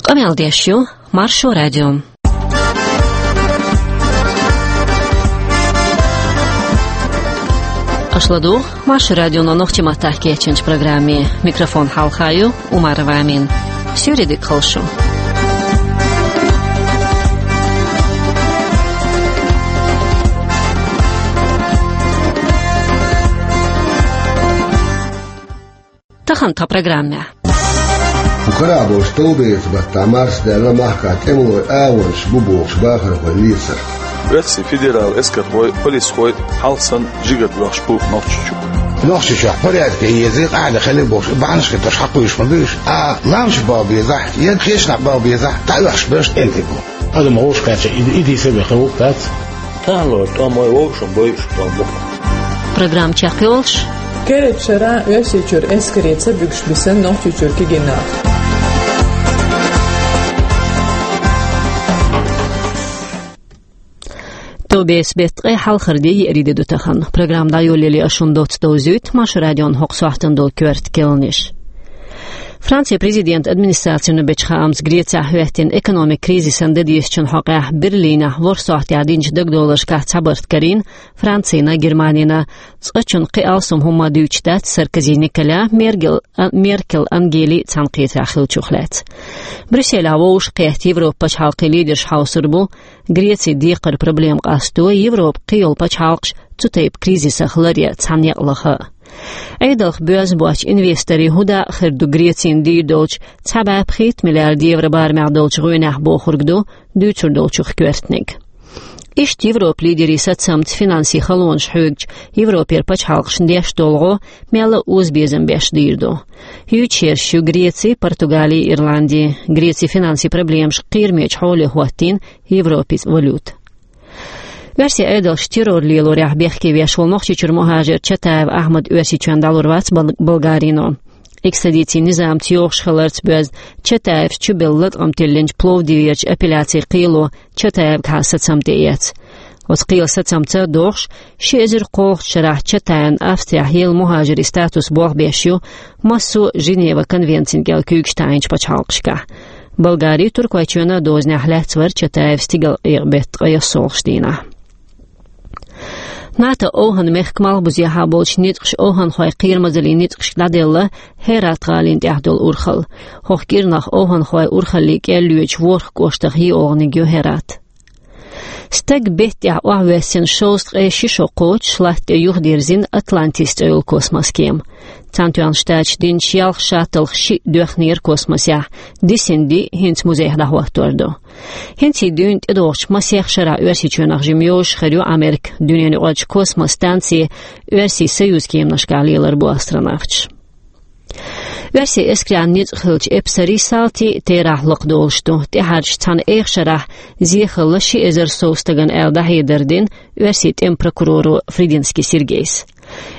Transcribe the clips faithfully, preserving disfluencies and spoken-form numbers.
Къамел деш ю Маршо радио. Аша ладугӀу Маршо радионо нохчийн маттахь кечйинчу программе. Микрофон хьалха ю Умарова Амина. Суьйре дика хуьлда шун. Тахана тхан программехь. Кху карахь болчу товбеца баттахь марсадаьлла махкахь тӀемалойн агӀонаш бу бохуш бахархой лецар. Оьрсийн федералан эскархой, полисхой хьалха санна жигара лоьхуш бу Нохчийчу. Нохчийчохь порядке еза, къаьхьа хилла бохуш, бахьанаш хеташ хьакхуьйсуш ма буьйш, а ламаш бала безахь, я кхечанхьа бала безахь, дӀа а оьхуш берш тӀемтиг бу. Адам гӀовш кхаьчча, и, и дийца бехке ву, дац? Тахана лоруш тӀом вай вовшашна бойуш болу бу. Программа чекхйолуш. Керачу шарахь Оьрсийчуьра эскаре ца буьгуш бисина Нохчийчуьра кегий нах. Товбеца беттан ткъе хьалхара де, еарин де ду тахана. Программа дӀайолале аша шуна доцца довзуьйту Маршо радион хӀокху сохьтана долу коьрта керланаш. Францин президентан администрацино бечу хаамца, Грецехь хӀоьттина экономикан кризисан дан дезачун хьокъехь Берлинехь ворхӀ сохьтехь динчу дагадовларшкахь цхьабарт карийна Францина, Германина. Цкъачунна кхин алсам хӀумма дуьйцуш дац Саркози Николя, Мергел, а, Меркел Ангели цхьаьнакхетарехь хиллачух лаьцна. Брюсселехь вовшахкхетта Европан пачхьалкхийн лидерш хьовсур бу Грецин декхаран проблема къасто, Европан кхийолу пачхьалкхаш цу тайпа кризисах ларъян цхьаьна некъ лаха. Ӏедалх боьзна боцчу инвесторийн хӀун дакъа хир ду Грецина дийр долчу цхьа бӀе пхийтта миллиард евро барамехь долчу гӀоьнехь, бохург ду дуьйцур долчух коьртаниг. Иштта Европан лидерийн сацамца финансийн халонаш хьоьгучу Европера пачхьалкхашна деш долу гӀо мелла а озабезам беш дийр ду. Юьйцуш ерш ю Греци, Португали, Ирланди. Грецин финансийн проблемаш кхерамечу хьоле хӀоттийна Европан валюта. Оьрсийн Ӏедалша террор лелорехь бехке веш волу Нохчийчуьра мухӀажар Чатаев Ахьмад Оьрсийчоьнна дӀалур вац Бол-, Болгарино. Экстрадицин низамца йогӀуш хиларца боьзна Чатаевс чубелла латкъам тиллинчу Пловдиверчу апелляцин кхело Чатаевгахьа сацам тӀеэцна. Оцу кхелан сацамца догӀуш, ши эзар кхоалгӀачу шарахь Чатаевна Австрехь елла мухӀажаран статус болх беш ю массо а Женеван конвенцина кӀел куьйгаш таӀийначу пачхьалкхашкахь. Болгари, Туркойчоьнан дозанехь лаьцна вара Чатаев стигалкъекъа беттан ткъе ялхолгӀачу дийнахь. НАТО овхӀан-мехкан малхбузехьа болчу ницкъаша овхӀанхойн кхерамазаллин ницкъашка дӀаделла Хьерат гӀалина тӀехь долу урхалла. ХӀокху кӀирнах овхӀанхойн урхаллин кӀел лоьцучу ворхӀ кӀоштах йиъолгӀаниг ю Хьерат. Стаг бетта тӀехь охьавоьссина шовзткъе ши шо кхочуш, латта тӀе юхадирзина Атлантис цӀе йолу космос-кема. Цхьаьнатоьхначу Штаташа динчу ялх шаттлах шиъ доьхнера космосехь, дисина диъ хӀинца музейх дӀахӀоттор ду. ХӀинца и дуьйна тӀедогӀучу масех шарахь Оьрсийчоьнах жимма йовзуш хир ю Америка. Дуьненаюкъарчу космос-станце Оьрсийн Союзан кеманашкахь лелар бу астронавташ. Оьрсийн эскаран ницкъ хиллачу эпсарийн салтий, терахь лакхадолуш ду. ТӀаьхьарчу цхьана эха шарахь зен хилла ши эзар сов стагана аьлла дӀахьедар дина Оьрсийн тӀеман прокуроро Фридинский Сергейс.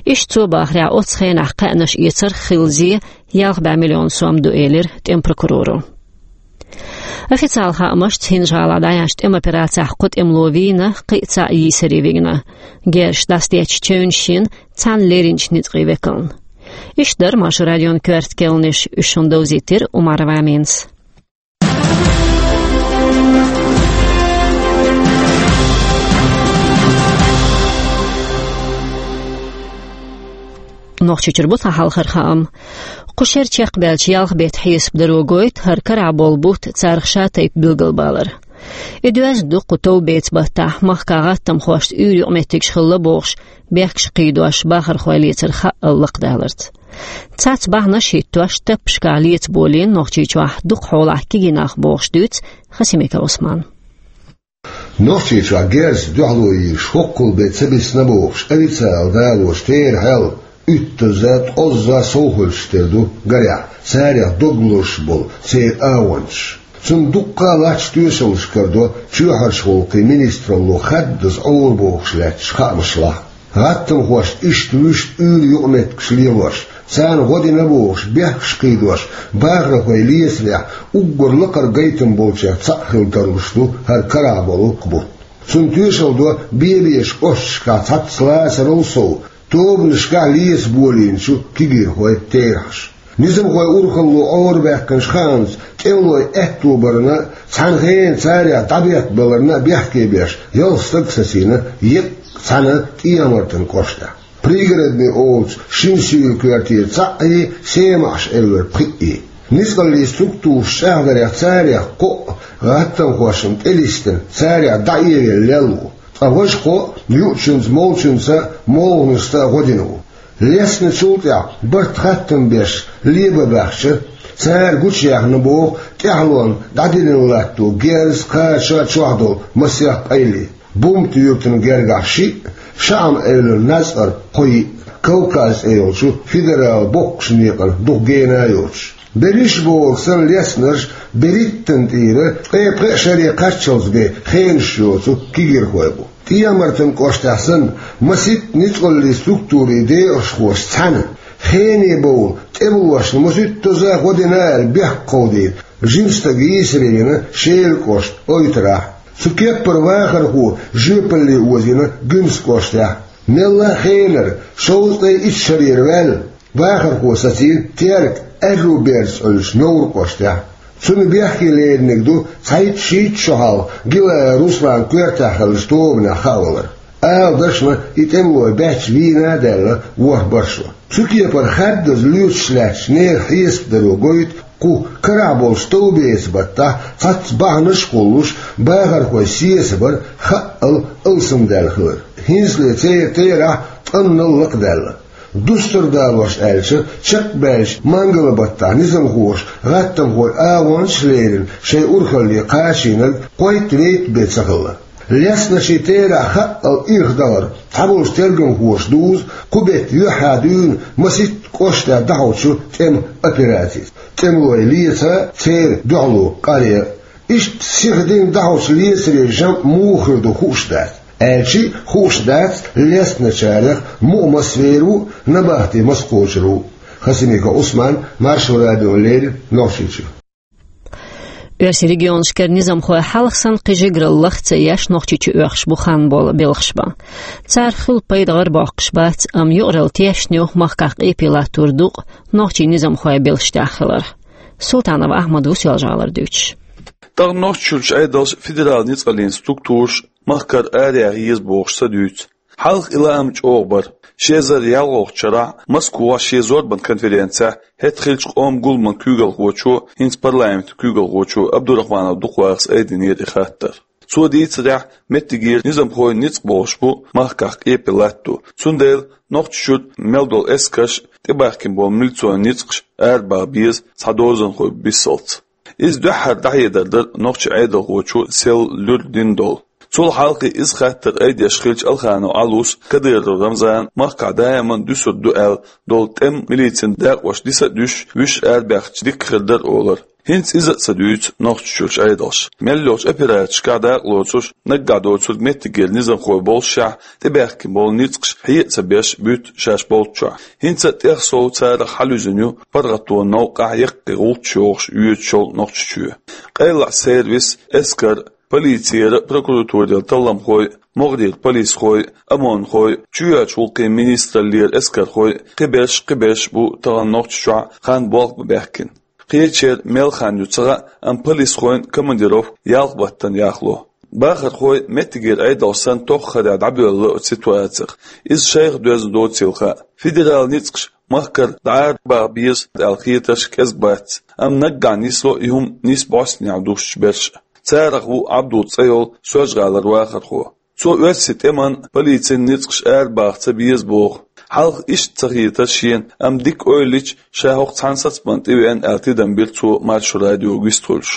Иштта цо бахарехь, оццу хенахь кхаьънаш эцарх хилла зен ялх бӀе миллион сом ду, элира тӀеман прокуроро. Официалан хаамашца, ХӀинжа-ГӀалахь дӀаяьхьначу тӀеман операцехь кхо тӀемало вийна, кхин а цхьаъ йийсаре вигна. Герзаш дӀасадеттачу чевнаш йина цхьана леринчу ницкъийн векална. Иштта дара Маршо радион коьрта керланаш, уьш шуна довзийтира Умарова Аминас. Нохчийчуьра бу тхан хьалхара хаам. Кху шеран чекхбаьллачу ялх беттан хьесап даро гойту хӀара карахь болу бутт царах шатайпа билгалбалар. И доьзна ду кху товбеца баттахь махкахь гӀаттамхошца уьйр юкъаметтигаш хилла бохуш, бехкаш кхийдош бахархой лецар хаъал лакхадаларца. Цхьацца бахьанаш хӀиттош, таппашкахь леца болийна Нохчийчохь дукха хьолахь кегий нах бохуш дуьйцу Хасимиков Ӏусмана. Нохчийчохь герзаца дуьхьало йийш хӀоккхул бен ца бисна бохуш, официалан далоша терахьал уьттазза, ткъозза совхойтуш тера ду, гарехь, царех дог лозуш болу церан агӀончаш. Цунна дуккха а латташ тоьшаллаш карадо чоьхьарчу гӀуллакхийн министралло хаддаза Ӏора бохуш лаьтташ хаамаш лахь. ГӀаттамхошца иштта вуьшта уьйр юкъаметтигаш лелош, царна гӀо дина бохуш, бехкаш кхийдош, бахархой лецарехь, уггар лакхара гайтам болчех цхьаъ хила тарлуш ду хӀара карахь болу бутт. Цунна тоьшалла до бен-бен кӀошташкахь цхьацца лацарал сов, тобанашкахь леца болийначу кегийрхойн терахьаш. Низамхой урхалло Ӏорабаьккхинчу хаамца, тӀемалой аьтто барна, цхьана хенахь царех дӀабеттабаларна бехке беш, ялх стаг сацийна, еккъа цхьана ТӀехьа-Мартан кӀоштахь. Пригородный олучу шина суьйра коьртера цхьаъ а, Семахьаш аьлларг пхиъ а. Ницкъаллин структураш чӀагӀдарехь, царех кхоъ гӀаттамхошна тӀелистина, царех дӀаэвелла лелла ву. Ткъа важа кхоъ юучуьнца, молчуьнца, молханашца гӀо дина ву. Лесначул тӀаьхьа барт хаттам беш лебан баьхча, цара гучуяьхна боху тӀаьхьалонна дӀадиллина латто герз, кхача чохь долу масех къайле. Бумт-Юьртан гергахь шиъ, ШаӀам-Эвлара Нацкъарг кхо йиъ, Кавказ цӀе йолчу федералан боккхачу некъана дукха гена а йоцуш. Берриш а бохург санна, леснарш берхӀиттанна тӀера ткъе пхеа шаре кхаччалц бен хенаш йоцу кегийрхой бу. ТӀехьа-Мартан кӀоштахь санна, масийтта ницкъаллин структурийн декъашхоша цхьаьна, хене бовла тӀемалошна масийтта доза гӀо дина аьлла бехк кховдийна жима стаг йийсаре йина Шелан кӀоштан ойтарахь. Цу кеппара вахархо жоьпалле озийна Гуьмсан кӀоштахь. Мелла а хенара, шовзткъе итт шарера ваьлла, вахархо сацийна Теркан аьрру берза Ӏуьллучу Невран кӀоштахь. Цунна бехке леринарг ду цхьайтта-шийтта шо хьалха Гилаев Русланан коьртехь хиллачу тобанехь хаавалар. Ала дашна, и тӀемалой баьчча вийна а даьлла ворхӀ-бархӀ шо. Цу кепара хаддаза лоьцуш лаьттачу нехан хьесапдаро гойту кху карахь болчу товбеца баттахь цхьацца бахьанаш а хуьлуш, бахархой сецабар хаъал алсамдаьлла хилар. ХӀинцале церан терахь ткъаннал лакхадаьлла. Дустар далош аьлча, чекхбаьллачу мангала баттахь низамхоша гӀаттамхойн агӀончаш а лерина, шайн урхалле кхачийнарг кхойтта-вейтта бен ца хилла. Лесначийн терахь хаъал ирх дахар цхьаболчу тергамхоша дузу кху беттан юьххьехь дуьйна масийтта кӀоштахь дӀахьочу тӀеман операцица. ТӀемалой леца а, церан дуьхьало къаре а. Иштта сиха дина дӀахьочу лецарийн жамӀ муха хир ду хууш дац. Аьлча а хууш дац лесначарех мукъа маса вер ву, набахте маса кхочур ву. Хасимиков Ӏусман, Маршо радиона леррина, Нохчийчуьра. Оьрсийн регионашкара низамхой хьалха санна кхин жигаралла лаха ца еш Нохчийчу оьхуш бу хан болу белхаш бан. Царах хуьлу пайда гӀарабоккхуш бац, амма юкъаралла тешна ю махкахь къепе латтор дукъ нохчийн низамхой белшаш тӀехь хиларх. Султанов Ахьмад ву Соьлжа-ГӀалара дуьйцуш. ТӀаккха Нохчийчуьрчу Ӏедалша федералан ницкъаллин структураш махкара араяха еза бохуш ца дуьйцу. Хьалха и лаам чӀогӀа бара. Ши эзар ялхолгӀачу шарахь Москвахь шен зорбанан конференцехь хӀетахь хиллачу къоман гуламан куьйгалхочо, хӀинца парламентан куьйгалхочо Абдурахманов Дукхвахас айдинера и хаттар. Цо дийцарехь, меттигера низамхойн ницкъ болуш бу махкахь къепе латто. Цундела Нохчийчуьра мел долу эскарш а, тӀебахкина болу милицин ницкъаш а арабаха беза цхьа дозанхой бисалц. Иза дуьххьара дӀахьедар дара нохчийн Ӏедалхочо сел луьра дина долу. Цул хьалха иза хаттар айдеш хиллачу Алханов Ӏалас Кадыров Рамзана махкахь даиман дуьсур ду аьлла долу тӀеман, милицин дакъош диса а дуьсуш, вуьшта арабаьхча дика хир дара олура. ХӀинца иза а ца дуьйцу Нохчийчуьрчу Ӏедалша. Мел йолчу операцешкахь дакъа лоцуш, наггахь доцург меттигера низамхой боллушехь, тӀебаьхкина болу ницкъаш хье а ца беш буьту шаьш болччохь. ХӀинца а тӀех сов царах хьалаюьзна ю паргӀатонан новкъахь яккхий гӀулчаш йохуш йоьдуш йолу Нохчийчоь. Къайлахь сервис, эскар, полицера, прокуратурера талламхой, могӀарера полисхой, ОМОНхой, чоьхьарчу гӀуллакхийн министраллера эскархой, кхиберш, кхиберш бу тахана Нохчийчохь хан болх бан баьхкина. Кхечеран мел хан ю ца хаьа, амма полисхойн командировка ялх баттана яхло. Бахархой меттигера Ӏедалш санна тоххарехь дӀабоьлла оцу ситуацех. Иза шайх доьзна доцийла хаьа. Федералан ницкъаш махкара дӀаарабаха беза аьлла хетарш кӀезиг бац, амма наггахь нисло и хӀума нийса бӀостанехьа дустучу берш а. Царах ву Ӏабдул цӀе йолу Соьлжа-ГӀалара вахархо. Цо оьрсийн тӀеман, полицин ницкъаш арабаха ца беза боху. Хьалха иштта ца хетара шена, амма дика ойла йича, ша хӀокху цхьана сацамна тӀевеана аьлла тидам бира цо Маршо радиога вистхуьлуш.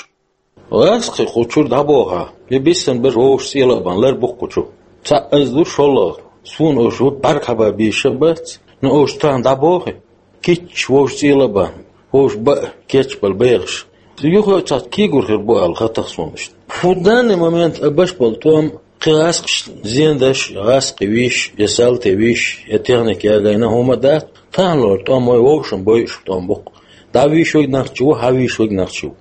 ГӀаскхи кху чуьра дӀабохахь, и биссина бара вовшашца цӀе лаба, лар бу кху чу. Цхьаъ аз ду, шолгӀа. Суна уьш хӀутту бӀаьрг хьаба безаш а бац, но уьш тахана дӀабохий? Кийча вовшашца цӀе лаба, вовшашка баа кечбала бехаш. Юха а цхьацца кийгур хир бу аьлла хета суна иштта. ХӀун данный момент а беш болу тӀом, кхин гӀаскхашна зен деш, гӀаскхи вийш, я салти вийш, я техника ягайна хӀума дац, тахана лору тӀом вай вовшашна бойуш тӀом бу-кх. ДӀавийш верг нохчи ву, хьавийш верг нохчи ву.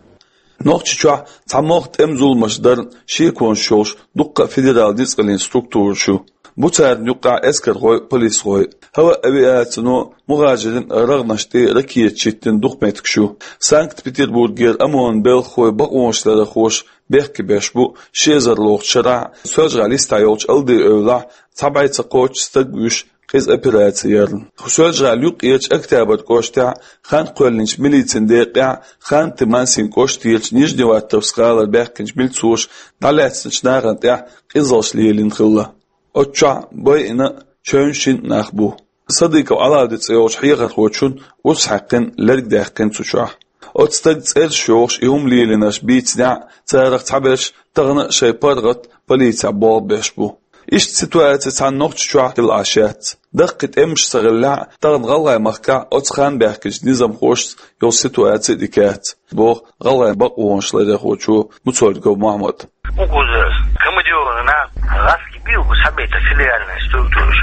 Нохчийчохь цхьа могӀа тӀеман зуламаш дарна шеконаш йолуш дуккха а федералан ницкъаллин структураш ю. Бу царна юккъехь эскархой а, полисхой а. Хьала авиацино мухӀажирийн рагӀнаш тӀе ракеташ йиттина дукха меттигаш ю. Санкт-Петербургера ОМОН-ан белхахой бакъонашларъярхоша бехке беш бу ши эзар лохучу шарахь Соьлжа-ГӀалин йистехь йолчу Алди-Эвлахь цхьа бӀе ца кхоччуш стаг вуьйш къиза операци ярна. Соьлжа-ГӀалин юккъерчу Октябрь кӀоштехь хан кхоьллинчу милицин декъехь, Ханты-Мансин кӀоштарчу Нижневартовск гӀалара баьхкинчу милцоша дӀалаьцначу нахана тӀехь къизаллаш лелийна хилла. Оцу чохь байина а, чевнаш йина а нах бу. Садыков Ӏалавди цӀе йолчу хьехархочун урс хьаькхна, лерг даьккхина цу чохь. Оцу стага цӀераш йохуш и хӀума лелийнарш бийцинехь а, царах цхьаберш тахана а шайн паргӀат полицехь болх беш бу. Иштта ситуаци цхьана Нохчийчохь хилла Ӏаш яц. Даккхий тӀемаш ца хиллехь а, тахана ГӀалгӀайн махкахь оцу ханна баьхкинчу низамхошца йолу ситуаци а дика яц, боху гӀалгӀайн бакъонашларъярхочо Муцольгов Мохьмада. Уггар командированный нах гӀазкхий бийр бу схьабайтар федеральная структура.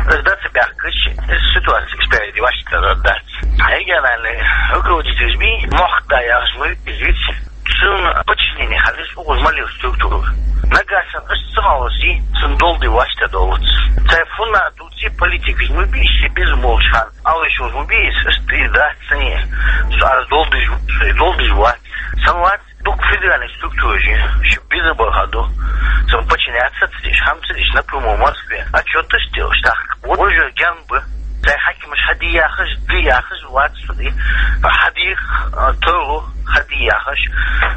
Аса дац баьхкича, аса ситуаци спереди ваьшта дац. Региональный руководитель бий, мохк да яхаш, ну, извините, цуьнан подчинение хьаллис уггар малил структура. Нагахь санна аса ца хьовсий, цуьнан долу ди ваьшта долуц. Цай фунна дуций политикаш, ну, бийш, беза молуш хан. Алла шуьза ма бийса, аш тӀе дац сан е. Со ара долдуьйш, долдуьйш вац. Сан вац, дукха федеральный структураш, шу биза баха ду. Сан подчиняться ца деш, хьамца деш, напрямую Москве. Отчёташ делаш, так. Вот уже генб. Цай хьаькамаш хьади яхаш, ди яхаш, вац ди. Хьадих, а, тойлу, хьади яхаш.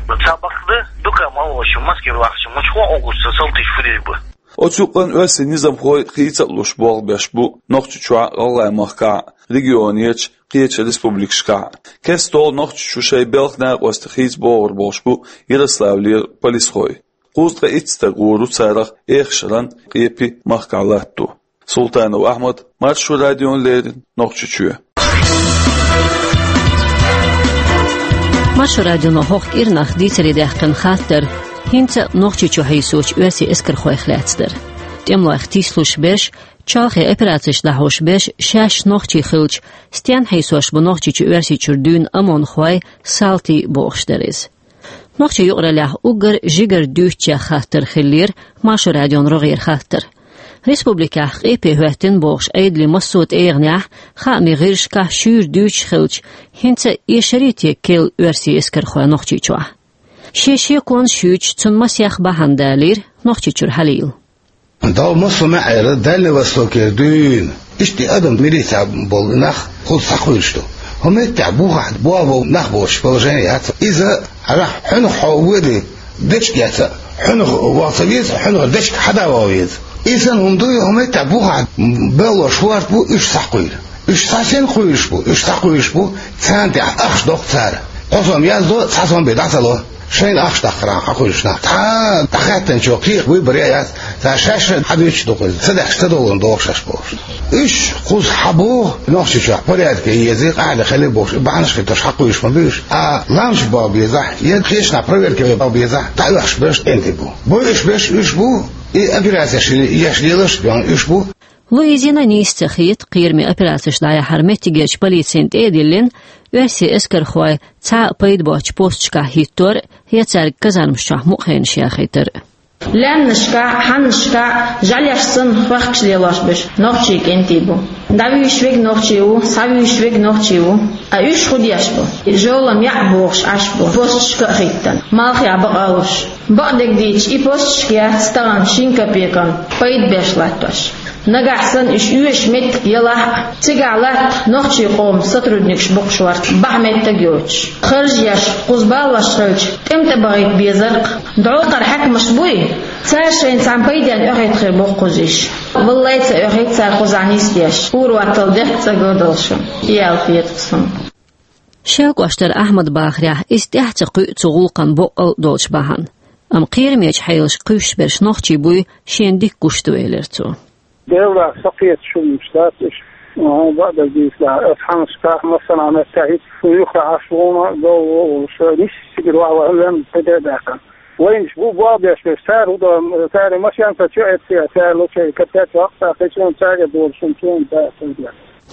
Ну, ца бакъда, дукха мало, шу Москве вахча, мучхо огуста салтиш фу деш бу. Оцу юкъана оьрсийн низамхой хийца а луш болх беш бу Нохчийчохь а, ГӀалгӀайн махкахь а, регионерчу кхечу республикашкахь а. Кестта Нохчийчу шайн белхан накъостех хийца богӀур болуш бу Ярославлера полисхой. Кхузткъе итт стаг гӀур ву царах Эхарт-Шаран, Къепи махкахь латто. Султанов Ахьмад, Маршо радиона леррина, Нохчийчоь. Маршо радионо хӀокху кӀирнах дийцаре даьккхина хаттар хӀинца а Нохчийчу хьийсочу оьрсийн эскархойх лаьцна дара. ТӀемалойх тийсалуш берш, чолхе операцеш дӀахьош берш шаьш нохчий хилча, стенна хьийсош бу Нохчийчу Оьрсийчуьра дуьйна ОМОН-хой, салтий бохуш дара иза. Нохчийн юкъараллехь уггар жигара дуьйцучех хаттар хиллера Маршо радион рогӀера хаттар. Республикехь Къепе хӀоьттина бохуш Ӏедалан массо а тӀегӀанехь, хаамийн гӀирсашкахь шуьйра дуьйцуш хилча, хӀинца а эшарий те керла оьрсийн эскархой Нохчийчохь? Шен шеконаш юьйцуш, цунна масех бахьана далийра Нохчийчуьра Хьалила. Дала массо а маьӀӀера, Дальний Востокера дуьйна, иштта адам милицехь болу нах кхуза схьакхуьйлуш ду. ХӀун меттехь бухахь болх бан нах боцуш положение яц. Иза хьанах хьо воьдий, дечиг яц, хьанах ваха ца веза, хьанах дечиг хьада ваха веза. И санна хӀума дуй, хӀун меттехь бухахь баллош хӀорд бу, уьш схьакхуьйлу. Уьш схьа сенна кхуьйлуш бу? Уьш схьакхуьйлуш бу, царна тӀехь ахча доккху цара. Кхо сом яздо, цхьа сом бен дӀа ца ло. Шайна ахча даккхаран хьакхуьйлуш нах. Цхьа дӀахаьттинчо кхехьа вуй, баре а яц. Цара шаьш хьадуьйцуш ду кхуза. Ца даьхкича ца долун дохуш шаьш бохуш. Уьш кхуза хьабоху, Нохчийчохь порядке еза, къахьега хила бохуш, и бахьанаш хиттош хьакхуьйлуш ма буьйш. А ламаш бан безахь, я кхечанхьа проверка бан безахь, дӀаоьхуш берш кӀентий бу. Бойуш берш уьш бу, и операцеш еш лелаш бен уьш бу. Луизина нийса ца хета, кхераме операцеш дӀаяхьар меттигерчу полицина тӀе а диллина, оьрсийн эскархой цхьа а пайда боцчу посташкахь хӀиттор а, я цаьрга казармаш чохь мукъа хенаш яхийтар а. Лаьмнашкахь, хьаннашкахь жӀаьлеш санна хоьхкуш лелош берш нохчийн кӀентий бу. ДӀавуьйш верг нохчи ву, схьавуьйш верг нохчи ву. Ткъа уьш хӀун деш бу? Жолам яӀ бохуш Ӏаш бу, посташка а хӀиттина, малхехь бакъ а луш. Бакъдерг дийцича, и посташка яц тахана шина копейкан пайда беш латтош. Нагахь санна уьш оьшуш меттиг ялахь а, цигахь латта нохчийн къоман сотрудникаш бу-кх шорта, бахьа меттиг а йоцуш. Харж еш, кхуза балош хилча, тӀеман тӀе бахийта безар-кх. ДӀокхара хьаькамаш буй? Цара шайна цхьана пайденна оьхуьйтур бу-кх кхуза уьш. Валлай, ца оьхуьйту цара кхузахь нисдеш, хӀора ваттал дехка цӀа ган долуш. Ял хета-кх суна. Шелкъоштара Ахьмада бахарехь, иза тӀаьхьа ца кхуьу цу гӀуллакхан боккъал а долчу бахьана. Амма кхерамечу хьелашка кхуьйсуш берш нохчий буй, шена дика гуш ду, элира цо. Делахь, со кхеташ хӀуманаш дац уьш. Хьуна бакъдерг дийцахь, аса хьаннашкахь массанхьа меттехь хӀиттина, юха Ӏаш ву-кх, гал ву-кх, нисса цигара вахаваьлла, кхин де а даьккхина. Вайнаш бу болх беш берш, цара хӀун до, цара машен ца чу эццехь, цара лучей капец ваккха, кхечунна цаьрга долуш хӀума чунна дац.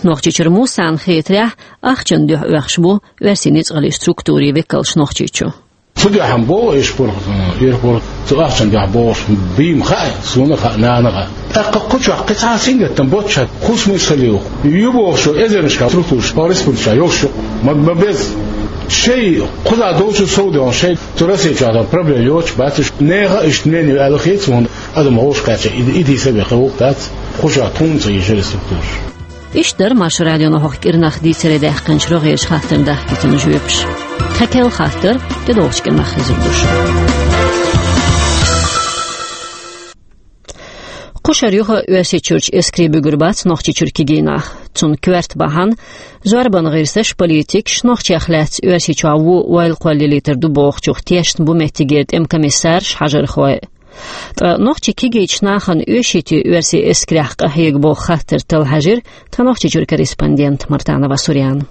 Нохчийчуьра Мусана хетарехь, ахчанна дуьхьа оьхуш бу оьрсийн ницкъаллин структурийн векалш Нохчийчу. Цу дуьхьа боху иш пурх, ир пурх, цу ахчан дуьхьа бохуш, бийма хаьа, суна хаьа, нана хаьа. ТӀаккха кху чохь кхин цхьа сингаттам боццуш, хӀун смысл ю? Ю бохуш, эзарнашкахь структураш, о, республикашкахь йолуш ю, ма, ма беза. Шайн кхузахь долчу сов де, шайн цу Россия чохь долу проблема йоцуш бац уьш. Нехан иштта мнение аьлла хета суна, адам гӀовш кхаьчча, и, и дийца бен хилла дац, кху чохь тхуна ца еза структураш. Иштта дара Маршо радионо хӀокху кӀирнах дийцаре даьккхинчу рогӀерчу хаттарна дахкийтина жоьпаш. Тхан кхел хаттар тӀедогӀучу кӀирнах хезар ду шуна. Кхушара юха а Оьрсийчуьрчу эскаре буьгур бац Нохчийчуьра кегий нах. Цунна коьрта бахьана, зорбан гӀирсаша, политикаша Нохчех лаьцна Оьрсийчохь вон ойла кхоллалийтар ду бохучух тешна бу меттигера тӀеман комиссарш, хьажархой. Ткъа нохчийн кегийчу нахана оьший те оьрсийн эскарехь къахьега боху хаттар талла хьаьжира тхан Нохчийчуьра корреспондент Мартанова Сурьяна.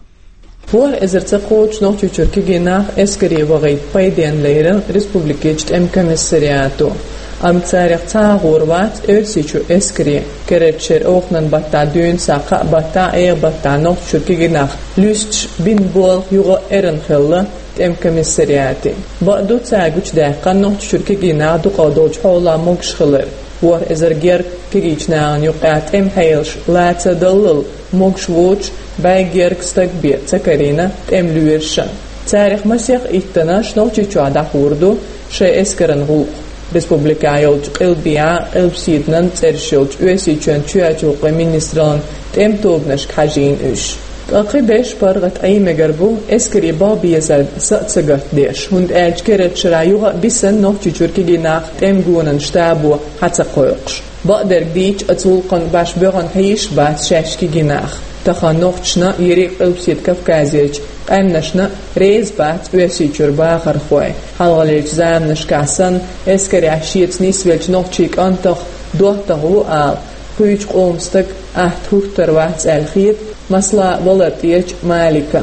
ВорхӀ эзар ца кхочуш Нохчийчуьра кегий нах эскаре вахийта пайденна лерина республикерчу тӀеман комиссариато. Амма царах цхьа а гӀур вац Оьрсийчу эскаре. Керта шеран оханан баттахь, дуьйна схьа кхаа баттахь, эгӀа баттахь Нохчийчуьра кегий нах луьстуш бина болх юха а эрна хилла тӀеман комиссариате. Бакъду, цара гучудаьккхина Нохчийчуьра кегий нах дукха долчу хьолехь могуш хилар. ВорхӀ эзар гергга кегийчу нахана юкъахь тӀеман хьелаш лаца даллал, могуш воцуш, бӀе гергга стаг бен ца карийна тӀеман лоьрашна. Царах масех иттаннаш Нохчийчохь дӀахьур ду шайн эскаран гӀуллакх. Республикехь йолчу къилбехьа, къилбаседанан цӀераш йолчу Оьрсийчоьнан чоьхьарчу гӀуллакхийн министраллин тӀеман тобанашка хьажийна уьш. Ткъа кхин берш паргӀат Ӏен мегар бу, эскаре баха безарна са а ца гатдеш, хӀунда аьлча керта шарахь юха а бисина Нохчийчуьра кегий нах тӀеман гонан штабо хьа ца кхойкхуш. Бакъдерг дийцича, оцу гӀуллакхна башха боьхна хьийзаш бац шаьш кегий нах. Тахана нохчашна, ерриг а Къилбаседа Кавказерчу къаьмнашна реза бац Оьрсийчуьра бахархой. Хьалхалерчу заманашкахь санна, эскарехь шеца нисвеллачу нохчийн кӀантах доттагӀа ву ала, кхечу къоман стаг атта хӀуттур вац аьлла хета, масала, Валар-ТӀерачу Маликна.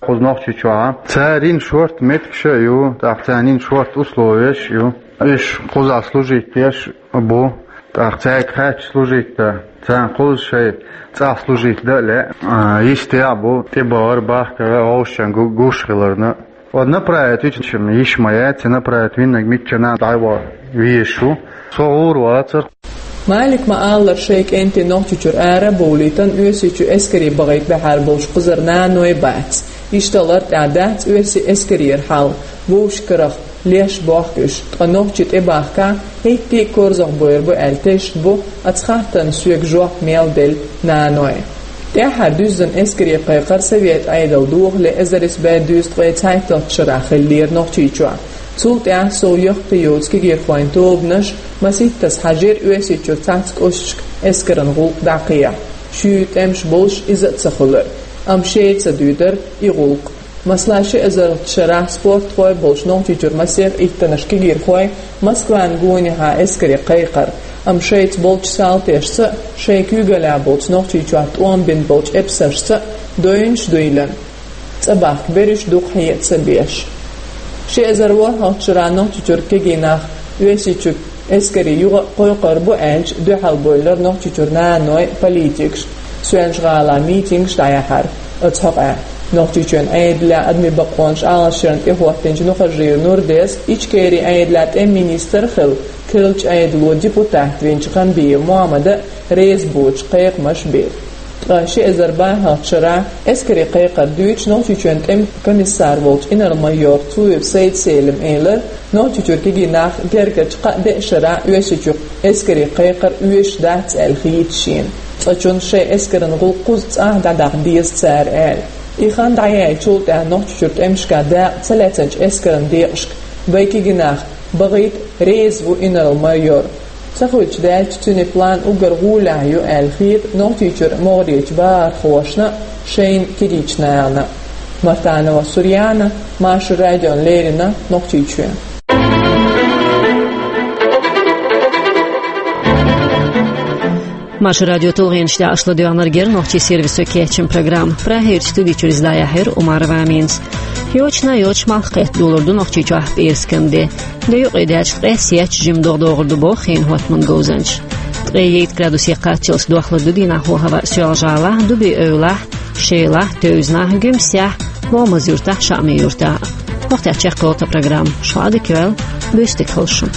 Кхуза Нохчийчохь цара йина шорта меттигаш а ю, тӀаккха царна йина шорта условияш а ю. Уьш кхузахь служить деш бу, тӀаккха цаьрга хаьттича служить дан, царна кхуза шайн цӀахь служить дан а лаьа. А, йистехь а бу тӀебахар, бахкар а, гӀовшашна гу-, гуш хиларна. Вот направить вича йиш ма яц, направить виннарг миччанхьа дӀа ван везаш ву. Со гӀур вацара. Малика ма-аллара, шайн кӀентий Нохчийчуьра ара а бовлийтина, Оьрсийчу эскаре бахийта баьхьар болуш кхузара наной бац. Иштта лартӀехь дац оьрсийн эскарера хьал, вовшахкарах леш бохку уьш, ткъа нохчий тӀебахкахь, хӀетте а корзагӀбойр бу аьлла тешна бу оцу хаттарна соьга жоп мел делла наной. ТӀаьххьара дуьззина эскаре кхайкхар Советан Ӏедал дохале эзар исс бӀе дезткъе цхьайтталгӀачу шарахь хиллера Нохчийчохь. Цул тӀаьхьа сов яккхий йоцу кегийрхойн тобанаш масийттаза хьажийра Оьрсийчуьра цхьацца кӀошташка эскаран гӀуллакх дӀакхехьа. Шуьйра тӀемаш болуш иза а ца хуьлура, амма шайца дуьйцура и гӀуллакх. Масала, ши эзарлагӀчу шарахь спортхой болчу Нохчийчуьра масех иттаннаш кегийрхой Москван гонехьа эскаре кхайкхара, амма шайца болчу салташца а, шайн куьйгаллехь болчу Нохчийчохь тӀом бина болчу эпсаршца а дойнаш дуйла, цӀа бахка берриш дукха хье а ца беш. Ши эзар ворхӀалгӀачу шарахь Нохчийчуьра кегий нах Оьрсийчуьра эскаре юха а кхойкхур бу аьлча, дуьхьал бевллера Нохчийчуьра наной, политикаш, Соьлжа-ГӀалахь митингаш дӀаяьхьира оцу хьокъехь. Нохчийчоьнан Ӏедалехь адамийн бакъонаш Ӏалашъярна тӀехӀоттийначу Нухажиев Нурдес, Ичкерин Ӏедалехь тӀеман министр а хилла, керлачу Ӏедало депутат винчу Ханбиев Мохьмада а реза боцуш кхайкхамаш бира. Ткъа ши эзар бархӀалгӀачу шарахь эскаре кхайкхар дуьйцуш Нохчийчоьнан тӀеман комиссар волчу инарла-майор Цуев Сайд-Селима элира, Нохчийчуьра кегий нах гергарчу кхаа-деа шарахь Оьрсийчуьра эскаре кхайкхар оьшуш дац аьлла хета шена. Цкъачунна шайн эскаран гӀуллакх кхуза цӀахь дӀадаккха деза цара аьлла. И хан дӀаяьллачул тӀаьхьа Нохчийчуьра тӀемашкахь дакъа ца лаьцначу эскаран декъашка вайн кегий нах бахийта реза ву инарла-майор. Ца хуьлуш даьлча, цуьнан план уггар гӀолехь ю аьлла хета Нохчийчуьра могӀарерчу бахархошна а, шайна кегийчу нахана а. Мартанова Сурьяна, Маршо радиона леррина, Нохчийчоь. Маршо радион тулгӀенаш тӀехь аша ладоьгӀнарг яра нохчийн сервисо кечйина программа. Прагерчу студи чуьра иза дӀаяьхьира Умарова Аминас. Йочана а йоцуш малх кхетта долур ду Нохчийчохь пӀераскан де. Де юкъе даьлча, ткъе сеттачу жимма догӀа догӀур ду боху хенан хӀоттаман говзанчаша. Ткъе итт градусе кхаччалц дохлур ду дийнахь хӀаваъ Соьлжа-ГӀалахь, Дуби-Эвлахь, Шелахь, Тевзанахь, Гуьмсехь, Ломаз-Юьртахь, Шаъми-Юьртахь. Охтя чехколта программа шлади квел, бюстик холшу.